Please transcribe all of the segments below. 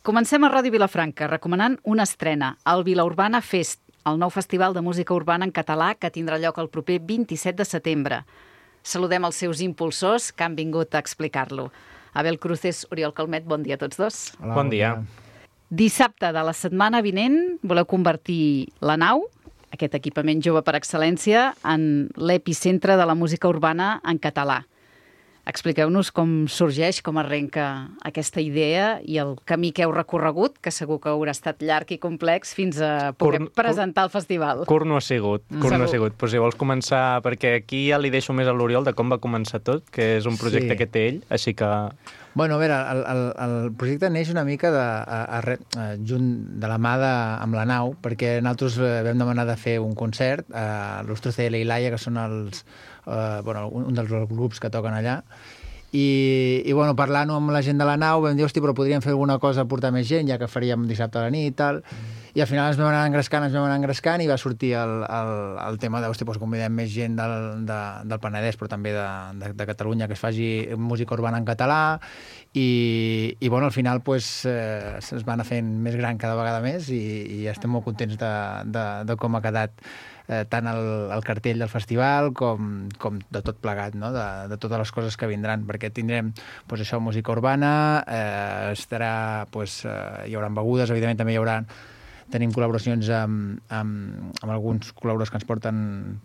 Comencem a Ràdio Vilafranca recomanant una estrena, el Vilaurbana Fest, el nou festival de música urbana en català que tindrà lloc el proper 27 de setembre. Saludem els seus impulsors que han vingut a explicar-lo. Abel Cruces, Oriol Calmet, bon dia a tots dos. Hola, bon dia. Dissabte de la setmana vinent voleu convertir la nau, aquest equipament jove per excel·lència, en l'epicentre de la música urbana en català. Expliqueu-nos com sorgeix, com arrenca aquesta idea i el camí que heu recorregut, que segur que haurà estat llarg i complex, fins a poder presentar el festival. Curt no ha sigut. Però si vols començar, perquè aquí ja li deixo més a l'Oriol de com va començar tot, que és un projecte que té ell, així que... Bueno, a veure, el projecte neix una mica junt de la mà amb la nau, perquè nosaltres vam demanar de fer un concert a Los Trece de Laia, que són un dels grups que toquen allà, i parlant-ho amb la gent de la nau vam dir, hosti, però podríem fer alguna cosa, portar més gent, ja que faríem dissabte a la nit i tal, i al final ens vam anar engrescant i va sortir el tema de, hosti, doncs convidem més gent del Penedès, però també de Catalunya, que es faci música urbana en català, i al final es va anar fent més gran cada vegada més i estem molt contents de com ha quedat tant el cartell del festival com de tot plegat, no? De totes les coses que vindran, perquè tindrem música urbana, hi haurà begudes, evidentment també tenim col·laboracions amb alguns col·laboradors que ens porten,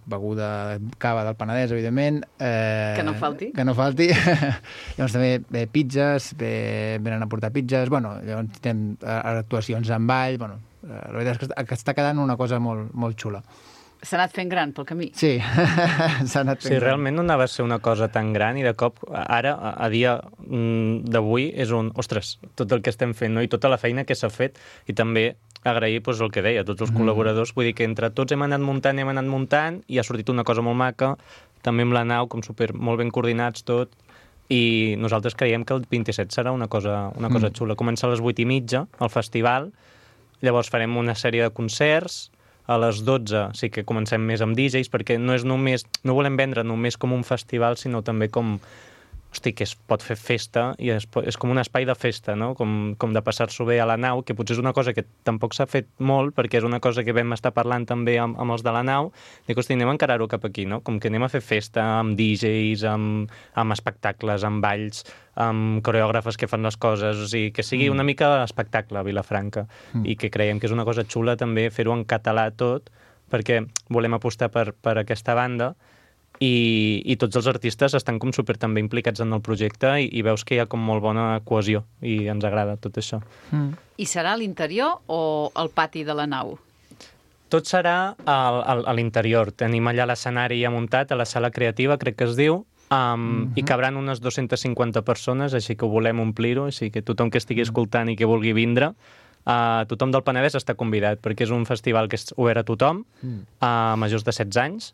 beguda, cava del Penedès, evidentment. Que no falti. Que no falti. Llavors també pizzas, venen a portar pizzas, llavors tenim actuacions en ball, la veritat és que està quedant una cosa molt, molt xula. S'ha anat fent gran pel camí. Sí, s'ha anat fent gran. Realment no anava a ser una cosa tan gran i de cop, ara, a dia d'avui, és ostres, tot el que estem fent, no? I tota la feina que s'ha fet, i també agrair el que deia, tots els col·laboradors, vull dir que entre tots hem anat muntant i ha sortit una cosa molt maca, també amb la nau, com molt ben coordinats tot, i nosaltres creiem que el 27 serà una cosa xula. Comença a les 8:30 el festival, llavors farem una sèrie de concerts, a les 12 sí que comencem més amb DJs, perquè no volem vendre només com un festival, sinó també com, que es pot fer festa, i és com un espai de festa, no? Com de passar-s'ho bé a la nau, que potser és una cosa que tampoc s'ha fet molt, perquè és una cosa que vam estar parlant també amb els de la nau, dic, anem a encarar-ho cap aquí, no? Com que anem a fer festa amb DJs, amb espectacles, amb balls, amb coreògrafes que fan les coses, o sigui, que sigui una mica espectacle a Vilafranca, i que creiem que és una cosa xula també fer-ho en català tot, perquè volem apostar per aquesta banda, i tots els artistes estan com super també implicats en el projecte i veus que hi ha com molt bona cohesió i ens agrada tot això. I serà a l'interior o al pati de la nau? Tot serà a l'interior. Tenim allà l'escenari ja muntat, a la sala creativa, crec que es diu, i cabran unes 250 persones, així que ho volem omplir-ho, així que tothom que estigui escoltant i que vulgui vindre, tothom del Penedès està convidat, perquè és un festival que és obert a tothom, a majors de 16 anys,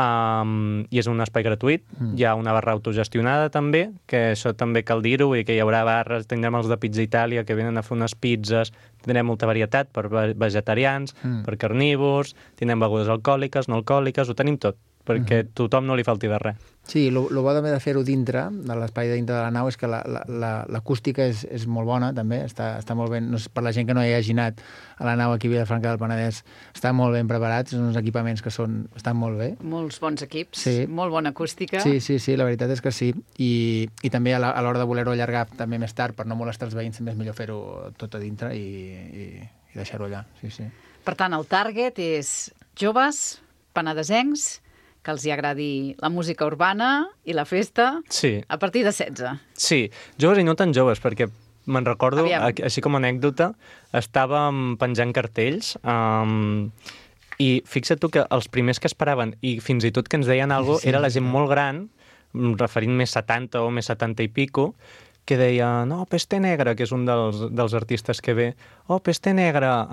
i és un espai gratuït. Hi ha una barra autogestionada també, que això també cal dir-ho, i que hi haurà barres, tindrem els de Pizza Itàlia que venen a fer unes pizzas, tindrem molta varietat per vegetarians, per carnívors, tindrem begudes alcohòliques, no alcohòliques, ho tenim tot, perquè tothom no li falti de res. Sí, el bo també de fer-ho dintre, de l'espai dintre de la nau, és que l'acústica és molt bona, també, està molt ben, per la gent que no hi hagi anat a la nau aquí a Vilafranca del Penedès, està molt ben preparats, són uns equipaments que estan molt bé. Molts bons equips, sí. Molt bona acústica. Sí, la veritat és que sí, i també a l'hora de voler-ho allargar també més tard, per no molestar els veïns, també és millor fer-ho tot a dintre i deixar-ho allà, sí. Per tant, el target és joves, penedesencs, que els hi agradi la música urbana i la festa, sí. A partir de 16. Sí, joves i no tan joves, perquè me'n recordo, així com a anècdota, estàvem penjant cartells, i fixa't tu que els primers que esperaven, i fins i tot que ens deien alguna cosa, era la gent molt gran, referint més 70 o més 70 i pico, que deia, no, Peste Negra, que és un dels artistes que ve, Peste Negra,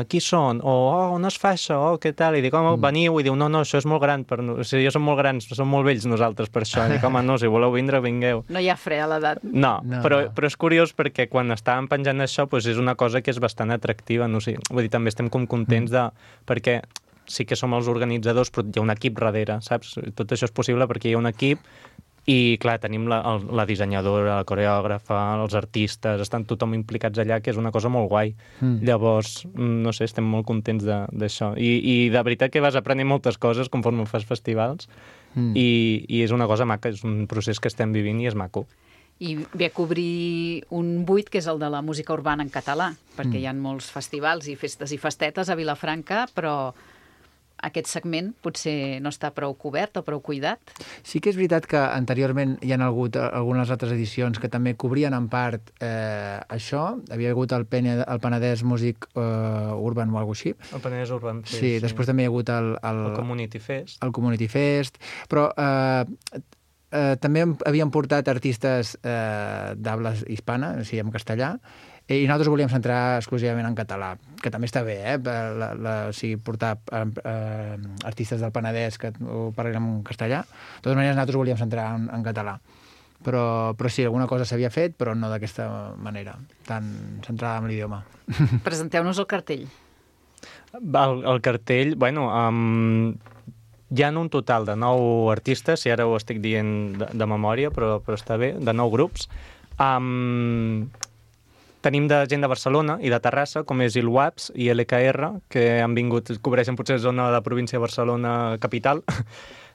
qui són? On es fa això? Què tal? I dic, veniu, i diu, no, això és molt gran, jo som molt grans, som molt vells nosaltres per això. I dic, no, si voleu vindre, vingueu. No hi ha fre a l'edat. No, però és curiós perquè quan estàvem penjant això, és una cosa que és bastant atractiva, no sé, vull dir, també estem com contents perquè sí que som els organitzadors, però hi ha un equip darrere, saps? Tot això és possible perquè hi ha un equip I, clar, tenim la dissenyadora, la coreògrafa, els artistes, estan tothom implicats allà, que és una cosa molt guai. Llavors, no sé, estem molt contents d'això. I de veritat que vas aprenent moltes coses conforme fas festivals i és una cosa maca, és un procés que estem vivint i és maco. I ve a cobrir un buit, que és el de la música urbana en català, perquè hi ha molts festivals i festes i festetes a Vilafranca, però aquest segment potser no està prou cobert o prou cuidat. Sí que és veritat que anteriorment hi ha hagut algunes altres edicions que també cobrien en part això. Havia hagut el Penedès Music Urban o alguna cosa així. El Penedès Urban Fest. Sí, després també hi ha hagut el Community Fest. El Community Fest, però també havien portat artistes d'habla hispana, o sigui, en castellà, i nosaltres volíem centrar exclusivament en català, que també està bé, o sigui, portar artistes del Penedès que ho parlin en castellà. De totes maneres, nosaltres volíem centrar en català. Però sí, alguna cosa s'havia fet, però no d'aquesta manera, tan centrada en l'idioma. Presenteu-nos el cartell. El cartell, bueno, hi ha un total de 9 artistes, si ara ho estic dient de memòria, però està bé, de 9 grups. Tenim de gent de Barcelona i de Terrassa, com és Il Waps i LKR, que han vingut, cobreixen potser zona de la província de Barcelona capital.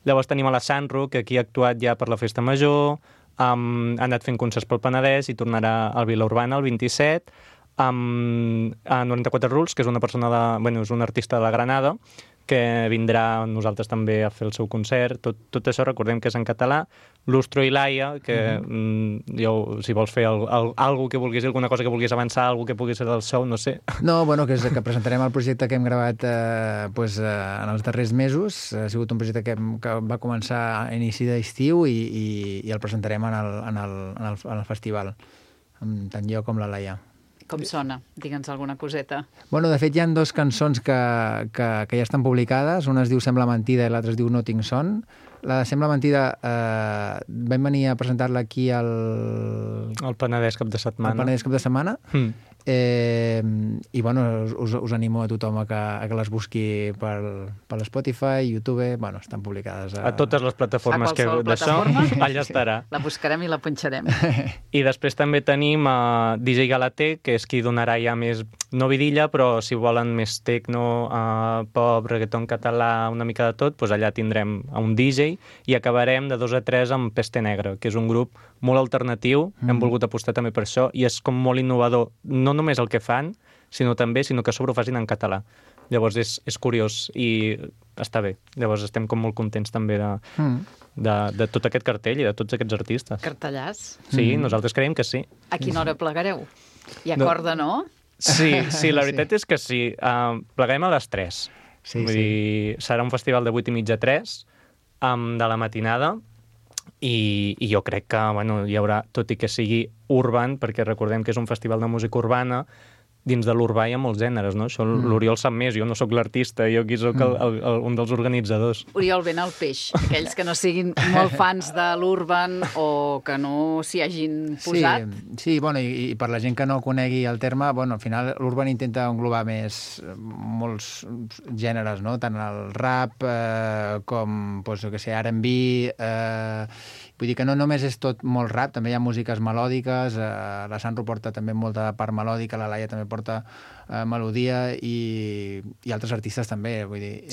Llavors tenim a la Sanro, que aquí ha actuat ja per la Festa Major, ha anat fent concerts pel Penedès i tornarà al Vila Urbana el 27, a 94 Rules, que és una persona és un artista de la Granada, que vindrà amb nosaltres també a fer el seu concert. Tot això recordem que és en català. Lustro i Laia, que si vols fer alguna que vulguis, alguna cosa que vulguis avançar, alguna que pugui ser del show, no sé. No, bueno, que presentarem el projecte que hem gravat en els darrers mesos. Ha sigut un projecte que va començar a inici d'estiu i el presentarem en el festival, amb tant jo com la Laia. Com sona? Digue'ns alguna coseta. Bueno, de fet, hi ha 2 cançons que ja estan publicades. Una es diu Sembla mentida i l'altra es diu No tinc son. La de Sembla mentida vam venir a presentar-la aquí al Penedès cap de setmana. Al Penedès cap de setmana. I bueno, us animo a tothom a que les busqui per l'Spotify, YouTube, bueno, estan publicades a totes les plataformes d'això, allà estarà. La buscarem i la punxarem. I després també tenim DJ Galater, que és qui donarà ja més, no vidilla, però si volen més techno, pop, reggaeton català, una mica de tot, doncs allà tindrem un DJ i acabarem de 2 a 3 amb Peste Negra, que és un grup molt alternatiu, hem volgut apostar també per això, i és com molt innovador, no només el que fan, sinó que a sobre ho facin en català. Llavors és curiós i està bé. Llavors estem com molt contents també de tot aquest cartell i de tots aquests artistes. Cartellàs? Sí, nosaltres creiem que sí. A quina hora plegareu? Hi ha corda, no? Sí, la veritat és que sí. Plegarem a les 3. Vull dir, serà un festival de 8:30 a 3, de la matinada, i jo crec que hi haurà, tot i que sigui urban, perquè recordem que és un festival de música urbana, dins de l'urbà hi ha molts gèneres, no? Això l'Oriol sap més, jo no sóc l'artista, jo aquí sóc un dels organitzadors. Oriol, ben al peix. Aquells que no siguin molt fans de l'urban o que no s'hi hagin posat. Sí, bueno, i per la gent que no conegui el terme, bueno, al final l'urban intenta englobar molts gèneres, no? Tant el rap com, jo què sé, R&B. Vull dir que no només és tot molt rap, també hi ha músiques melòdiques, la Sanro porta també molta part melòdica, la Laia també porta melodia i altres artistes també, vull dir.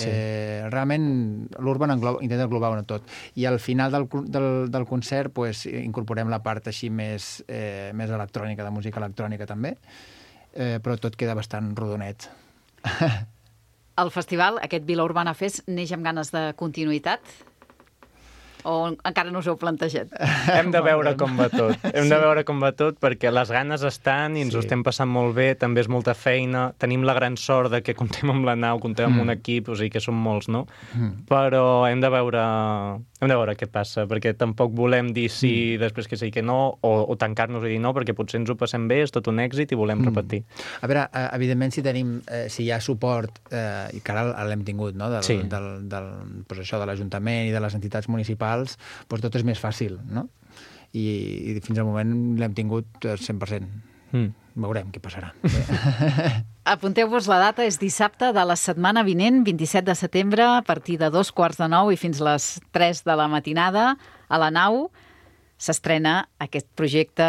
Realment l'urban intenta englobar-ho tot. I al final del concert incorporem la part així més electrònica, de música electrònica també, però tot queda bastant rodonet. El festival, aquest Vila Urbana Fest, neix amb ganes de continuïtat? O encara no us heu plantejat? Hem de veure com va tot. Hem de veure com va tot, perquè les ganes estan i ens ho estem passant molt bé, també és molta feina, tenim la gran sort de que comptem amb la nau, comptem amb un equip, o sigui que som molts, no? Però hem de veure què passa, perquè tampoc volem dir sí, després que sí que no, o tancar-nos i dir no, perquè potser ens ho passem bé, és tot un èxit i volem repetir. A veure, evidentment, si hi ha suport, i que ara l'hem tingut, no?, de l'Ajuntament i de les entitats municipals, doncs tot és més fàcil, no? I fins al moment l'hem tingut 100%. Veurem què passarà. Apunteu-vos la data, és dissabte de la setmana vinent, 27 de setembre, a partir de 8:45 i fins les 3 de la matinada, a la nau. s'estrena aquest projecte,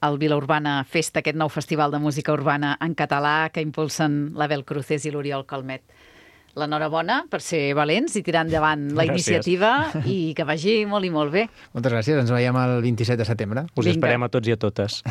el Vila Urbana Festa, aquest nou festival de música urbana en català que impulsen l'Abel Cruces i l'Oriol Calmet. L'enhorabona per ser valents i tirar endavant la iniciativa i que vagi molt i molt bé. Moltes gràcies. Ens veiem el 27 de setembre. Us esperem a tots i a totes.